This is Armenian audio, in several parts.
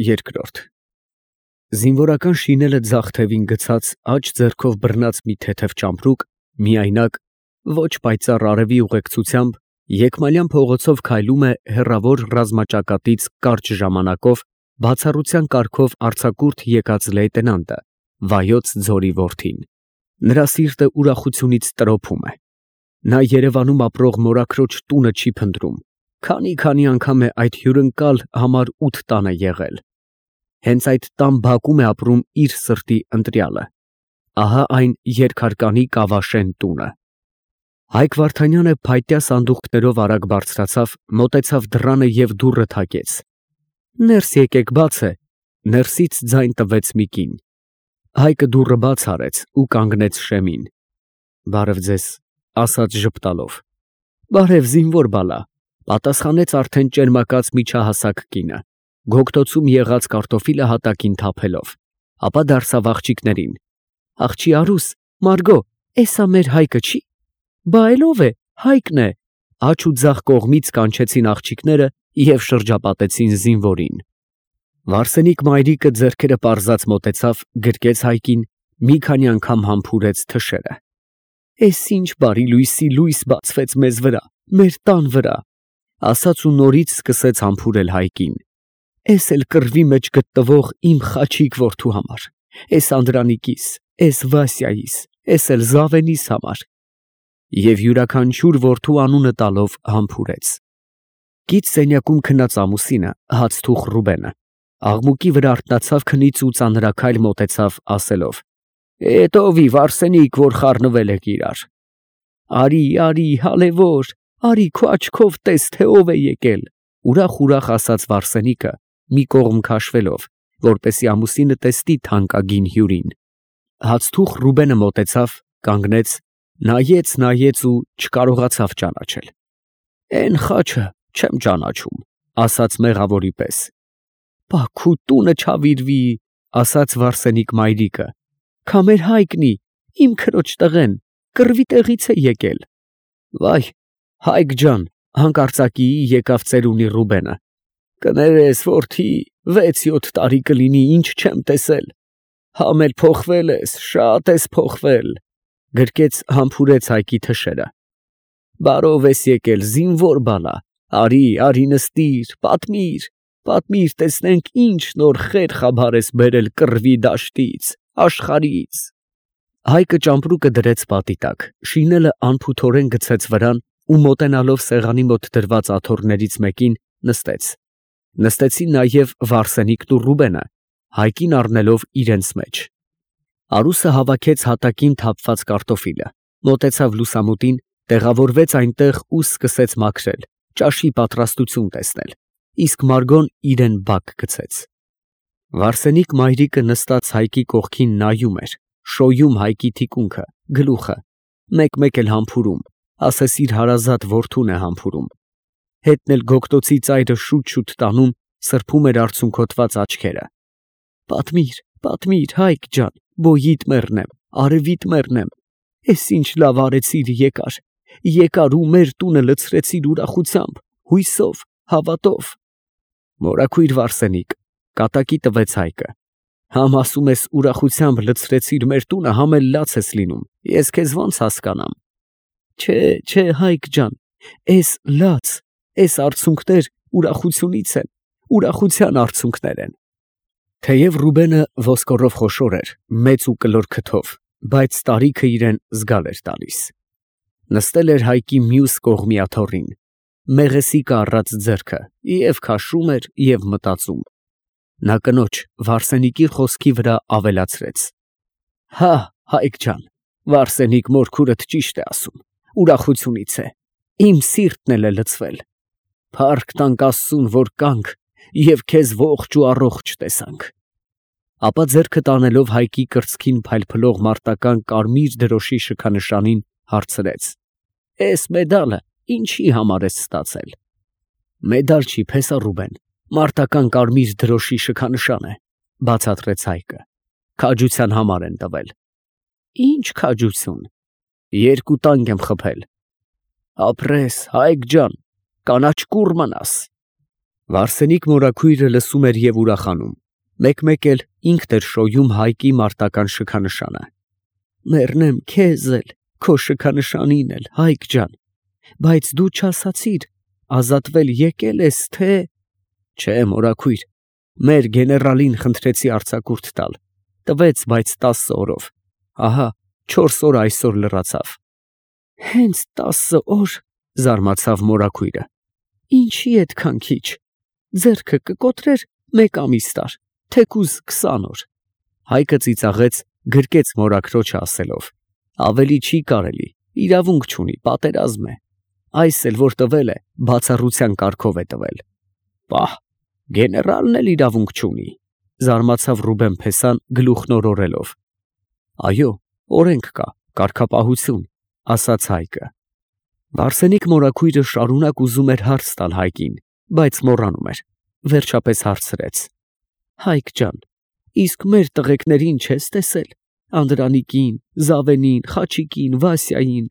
Երկրորդ Զինվորական շինելը ձախ թևին գցած, աջ ձեռքով բռնած մի թեթև ճամպրուկ, միայնակ, ոչ պայծառ արևի ուղեկցությամբ, Եկմալյան փողոցով քայլում է հեռավոր ռազմաճակատից կարճ ժամանակով, բացառության կարգով արձակուրդ եկած լեյտենանտը, Վայոց ձորի որդին։ Նրա սիրտը ուրախությունից տրոփում է։ Նա Երևանում ապրող մորաքրոջ տունը չի փնտրում, քանի անգամ է այդ հյուրընկալ համար 8 տանը եղել։ Հենց այդ տան բակում է ապրում իր սրտի ընտրյալը։ Ահա այն երկհարկանի Կավաշեն տունը։ Հայկ Վարդանյանը փայտյա սանդուղքներով արագ բարձրացավ, մոտեցավ դռանը և դուռը թակեց։ Ներս եկեք, բաց է։ Ներսից ձայն տվեց մի կին։ Հայկը դուռը բաց արեց ու կանգնեց շեմին։ Բարև ձեզ, ասաց ժպտալով։ Բարև, զինվոր բալա, պատասխանեց արդեն ճերմակած միջահասակ կինը, գոգտոցում եղած կարտոֆիլը հատակին թափելով, ապա դարսավ աղջիկներին։ Աղջի Արուս, Մարգո, էսա մեր Հայկը չի։ Բա էլ ով է, Հայկն է, աջ ու ձախ կողմից կանչեցին աղջիկները և շրջապատեցին զինվորին։ Վարսենիկ մայրիկը ձեռքերը պարզած մոտեցավ, գրկեց Հայկին, մի քանի անգամ համբուրեց թշերը։ Էս ինչ բարի լույսի լույս բացվեց մեզ վրա, մեր տան վրա, ասաց ու նորից սկսեց համբուրել Հայկին։ Էս էլ կռվի մեջ գտնվող իմ Խաչիկ որդու համար, էս Անդրանիկիս, էս Վասյայիս, էս էլ Զավենիս համար։ Եվ յուրաքանչյուր որդու անունը տալով համբուրեց։ Կից սենյակում քնած ամուսինը, հացթուխ Ռուբենը, աղմուկի վրա արթնացավ քնից ու ծանրաքայլ մոտեցավ, ասելով. Էտովի Վարսենիկ, որ խառնվել եք իրար։ Արի, հալևոր, արի քո աչքով տես, թե ով է եկել, ուրախ ասաց Վարսենիկը, մի կողմ քաշվելով, որպեսի ամուսինը տեսնի թանկագին հյուրին։ Հացթուխ Ռուբենը մոտեցավ, կանգնեց, նայեց ու չկարողացավ ճանաչել։ Էն խաչը չեմ ճանաչում, ասաց մեղավորի պես։ Բա քու տունը չավիրվի, ասաց Վարսենիկ մայրիկը, քա մեր Հայկնի, իմ քրոջ տղեն, կռվի տեղից է եկել։ Վայ, Հայկ ջան, հանկարծակիի եկավ ծերունի Ռուբենը։ Կներես, որդի, 6-7 տարի կլինի, ինչ չեմ տեսել։ Համ էլ փոխվել ես, շատ ես փոխվել, գրկեց համբուրեց Հայկի թշերը։ Բարով ես եկել, զինվոր բալա, արի նստիր, պատմիր, տեսնենք ինչ նոր խեր խաբար ես բերել կռվի դաշտից, աշխարհից։ Հայկը ճամպրուկը դրեց պատի տակ, շինելը անփութորեն գցեց վրան ու մոտենալով սեղանի մոտ դրված աթոռներից մեկին նստեց։ Նստեցին նաև Վարսենիկն ու Ռուբենը, Հայկին առնելով իրենց մեջ։ Արուսը հավաքեց հատակին թափված կարտոֆիլը, մոտեցավ լուսամուտին, տեղավորվեց այնտեղ ու սկսեց մաքրել, ճաշի պատրաստություն տեսնել, իսկ Մարգոն իրեն բակ գցեց։ Վարսենիկ մայրիկը նստած Հայկի կողքին նայում էր, շոյում Հայկի թիկունքը, գլուխը, մեկ-մեկ էլ համբուրում, ասես իր հարազատ որդուն է համբուրում։ Հետն էլ գոգտոցի ծայրը շուտ տանում, սրբում էր արցունքոտված աչքերը։ Պատմիր, Հայկ ջան, բոյիդ մեռնեմ, արևիդ մեռնեմ, էս ինչ լավ արեցիր եկար ու մեր տունը լցրեցիր ուրախությամբ, հույսով, հավատով։ Մորաքույր Վարսենիկ, կատակի տվեց Հայկը, համ ասում ես ուրախությամբ լցրեցիր մեր տունը, համ էլ լաց ես լինում, ես քեզ ոնց հասկանամ։ Չէ, Հայկ ջան, էս լաց, էս արցունքներ ուրախությունից են, ուրախության արցունքներ են։ Թեև Ռուբենը ոսկորով խոշոր էր, մեծ ու կլոր քթով, բայց տարիքը իրեն զգալ էր տալիս։ Նստել էր Հայկի մյուս կողմի աթոռին, մեղեսիկը առած ձեռքը, և քաշում էր և մտածում։ Նա կնոջ Վարսենիկի խոսքի վրա ավելացրեց. Հա, Հայկ ջան, Վարսենիկ մորքուրդ ճիշտ է ասում, ուրախությունից է, իմ սիրտն էլ է լցվել։ Փառք տանք Աստծուն, որ կանք և քեզ ողջ ու առողջ տեսանք։ Ապա ձեռքը տանելով Հայկի կրծքին փայլփլող մարտական կարմիր դրոշի շքանշանին, հարցրեց. Էս մեդալը ինչի համար ես ստացել։ Մեդալ չի, փեսա Ռուբեն, մարտական կարմիր դրոշի շքանշան է, բացատրեց Հայկը։ Քաջության համար են տվել։ Ինչ քաջություն։ 2 տանկ եմ խփել։ Ապրես, Հայկ ջան, կանաչ կուռ մնաս։ Վարսենիկ մորաքույրը լսում էր և ուրախանում, մեկ-մեկ էլ ինքն էր շոյում Հայկի մարտական շքանշանը։ Մեռնեմ քեզ էլ, քո շքանշանին էլ, Հայկ ջան, բայց դու չասացիր, ազատվել եկել ես, թե… Չէ, մորաքույր, մեր գեներալին խնդրեցի արձակուրդ տալ, տվեց, բայց 10 օրով, ահա 4 օր այսօր լրացավ։ Հենց 10 օր, զարմացավ մորաքույրը, ինչի այդքան քիչ, ձեռքը կկոտրեր 1 ամիս տար, թեկուզ 20 օր։ Հայկը ծիծաղեց, գրկեց մորաքրոջը ասելով. ավելի չի կարելի, իրավունք չունի, պատերազմ է, այս էլ որ տվել է, բացառության կարգով է տվել։ Պահ, գեներալն էլ իրավունք չունի, զարմացավ Ռուբեն֊փեսան գլուխն օրորելով։ Այո, օրենք կա, կարգապահություն, ասաց Հայկը։ Վարսենիկ մորաքույրը շարունակ ուզում էր հարց տալ Հայկին, բայց մոռանում էր, վերջապես հարցրեց. Հայկ ջան, իսկ մեր տղեկներին չես տեսել, Անդրանիկին, Զավենին, Խաչիկին, Վասյային։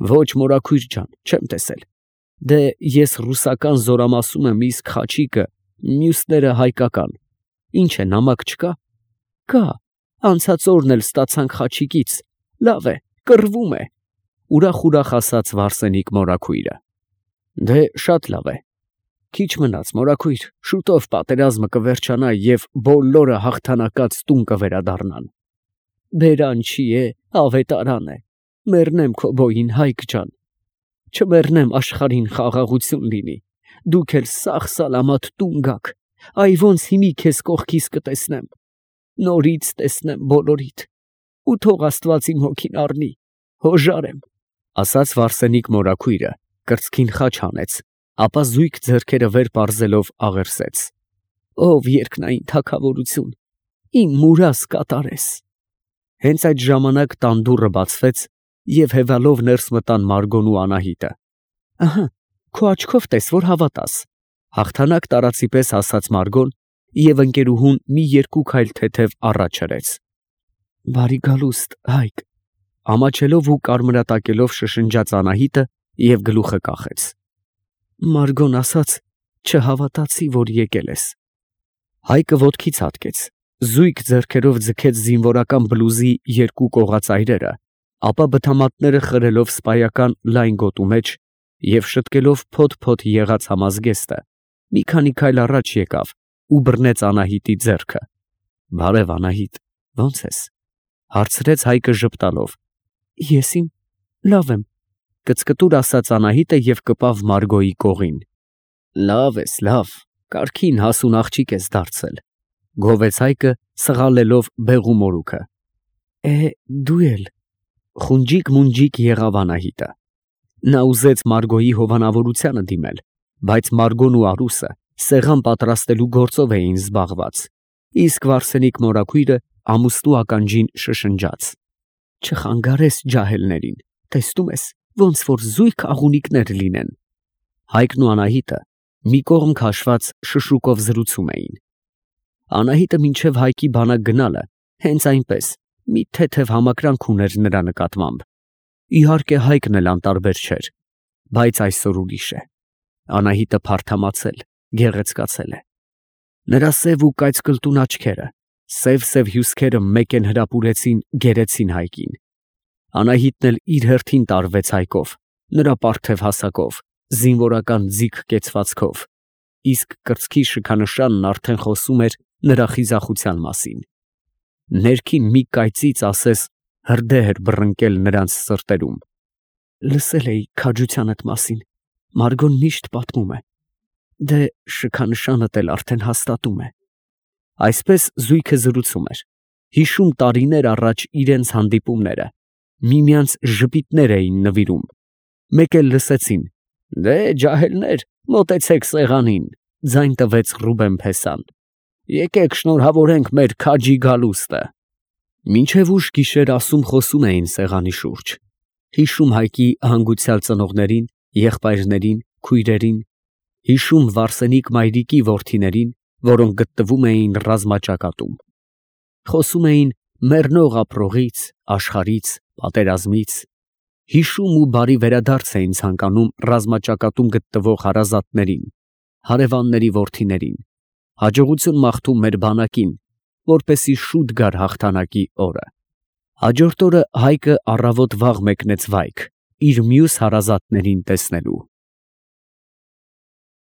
Ոչ, մորաքույր ջան, չեմ տեսել։ Դե ես ռուսական զորամասում եմ, իսկ Խաչիկը, մյուսները հայկական։ Ինչ է, նամակ չկա։ Կա, անցած օրն էլ ստացանք Խաչիկից, լավ է, կռվում է, ուրախ ասաց Վարսենիկ մորաքույրը։ Դե շատ լավ է։ Քիչ մնաց, մորաքույր, շուտով պատերազմը կվերջանա և բոլորը հաղթանակած տուն կվերադառնան։ Բերան չի է, ավետարան է, մեռնեմ քո բոյին, Հայկ ջան, չմեռնեմ, աշխարհին խաղաղություն լինի, դուք էլ սաղ-սալամաթ տուն գաք, այ ոնց հիմի քեզ կողքիս կտեսնեմ, նորից տեսնեմ բոլորիդ, ու թող Աստված իմ հոգին առնի, հոժար եմ, ասաց Վարսենիկ մորաքույրը, կրծքին խաչ հանեց, ապա զույգ ձեռքերը վեր պարզելով աղերսեց. Ով երկնային թագավորություն, իմ մուրաս կատարես։ Հենց այդ ժամանակ տան դուռը բացվեց և հևալով ներս մտան Մարգոն ու Անահիտը։ Ահա, քո աչքով տես, որ հավատաս, հաղթանակ տարածի պես ասաց Մարգոն և ընկերուհուն մի 2 քայլ թեթև առաջ հրեց։ Բարի գալուստ, Հայկ, ամաչելով ու կարմրատակելով շշնջաց Անահիտը և գլուխը կախեց։ Մարգոն ասաց, չհավատացի, որ եկել ես։ Հայկը ոտքի ցատկեց, զույգ ձեռքերով ձգեց զինվորական բլուզի 2 կողածայրերը, ապա բթամատները խրելով սպայական լայն գոտու մեջ և շտկելով փոթ-փոթ եղած համազգեստը, մի քանի քայլ առաջ եկավ ու բռնեց Անահիտի ձեռքը։ Բարև, Անահիտ, ո՞նց ես, հարցրեց Հայկը ժպտալով։ Ես լավ եմ, կծկտուր ասաց Անահիտը և կպավ Մարգոյի կողին։ Լավ ես, լավ, կարգին հասուն աղջիկ ես դարձել, գովեց Հայկը, սղալելով բեղու մորուքը։ Դու էլ, խունջիկ-մունջիկ եղավ Անահիտը։ Նա ուզեց Մարգոյի հովանավորությանը դիմել, բայց Մարգոն ու Արուսը սեղան պատրաստելու գործով էին զբաղված, իսկ Վարսենիկ մորաքույրը ամուսնու ականջին շշնջաց. Չխանգարես ջահելներին, տեսնում ես, ոնց որ զույգ աղունիկներ լինեն։ Հայկն ու Անահիտը մի կողմ քաշված շշուկով զրուցում էին։ Անահիտը մինչև Հայկի բանակ գնալը հենց այնպես մի թեթև համակրանք ուներ նրա նկատմամբ։ Իհարկե Հայկն էլ անտարբեր չէր, բայց այսօր ուրիշ է։ Անահիտը փարթամացել, գեղեցկացել է։ Նրա սև ու կայծկլտուն աչքերը, սև հյուսքերը մեկ են հրապուրեցին, գերեցին Հայկին։ Անահիտն էլ իր հերթին տարվեց Հայկով, նրա պարթև հասակով, զինվորական ձիգ կեցվածքով, իսկ կրծքի շքանշանն արդեն խոսում էր նրա խիզախության մասին։ Ներքին մի կայծից ասես հրդեհ էր բռնկել նրանց սրտերում։ Լսել էի քաջությանդ մասին, Մարգոն միշտ պատմում է, դե շքանշանդ էլ արդեն հաստատում է։ Այսպես զույգը զրուցում էր, հիշում տարիներ առաջ իրենց հանդիպումները, միմյանց ժպիտներ էին նվիրում։ Մեկ էլ լսեցին. դե ջահելներ, մոտեցեք սեղանին, ձայն տվեց Ռուբեն֊փեսան։ Եկեք շնորհավորենք մեր քաջի գալուստը։ Մինչև ուշ գիշեր ասում խոսում էին սեղանի շուրջ, հիշում Հայկի հանգուցյալ ծնողներին, եղբայրներին, քույրերին, հիշում Վարսենիկ մայրիկի որդիներին, որոնք գտնվում էին ռազմաճակատում։ Խոսում էին մեռնող ապրողից, աշխարհից, պատերազմից, հիշում ու բարի վերադարձ էին ցանկանում ռազմաճակատում գտնվող հարազատներին, հարևանների որդիներին, հաջողություն մաղթում մեր բանակին, որպեսզի շուտ գար հաղթանակի օրը։ Հաջորդ օրը Հայկը առավոտ վաղ մեկնեց վայք, իր մյուս հարազատներին տեսնելու։